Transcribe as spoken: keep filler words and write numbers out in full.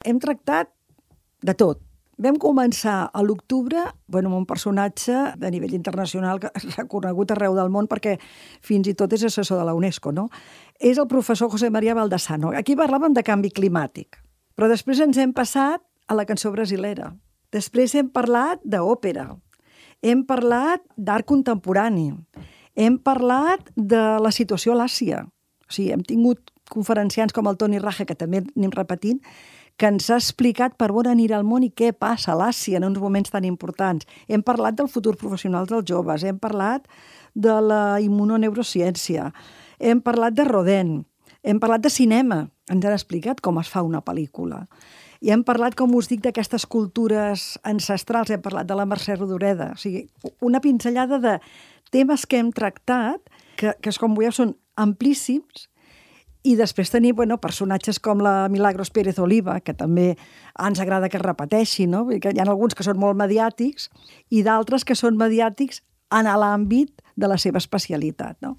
Hem tractat de tot. Vam començar a l'octubre bueno, amb un personatge de nivell internacional que és reconegut arreu del món perquè fins i tot és assessor de la UNESCO, no? És el professor José María Baldasano. Aquí parlàvem de canvi climàtic, però després ens hem passat a la cançó brasilera. Després hem parlat d'òpera, hem parlat d'art contemporani, hem parlat de la situació a l'Àsia. O sigui, hem tingut conferenciants com el Toni Raje, que també anem repetint, que ens ha explicat per on anirà el món i què passa a l'Àsia en uns moments tan importants. Hem parlat del futur professional dels joves, hem parlat de la immunoneurociència, hem parlat de Rodin, hem parlat de cinema, ens han explicat com es fa una pel·lícula. I hem parlat, com us dic, d'aquestes cultures ancestrals, hem parlat de la Mercè Rodoreda. O sigui, una pinzellada de temes que hem tractat, que, que com veieu, són amplíssims, i després tenir bueno, personatges com la Milagros Pérez Oliva, que també ens agrada que es repeteixi, no? Que hi ha alguns que són molt mediàtics i d'altres que són mediàtics en l'àmbit de la seva especialitat, no?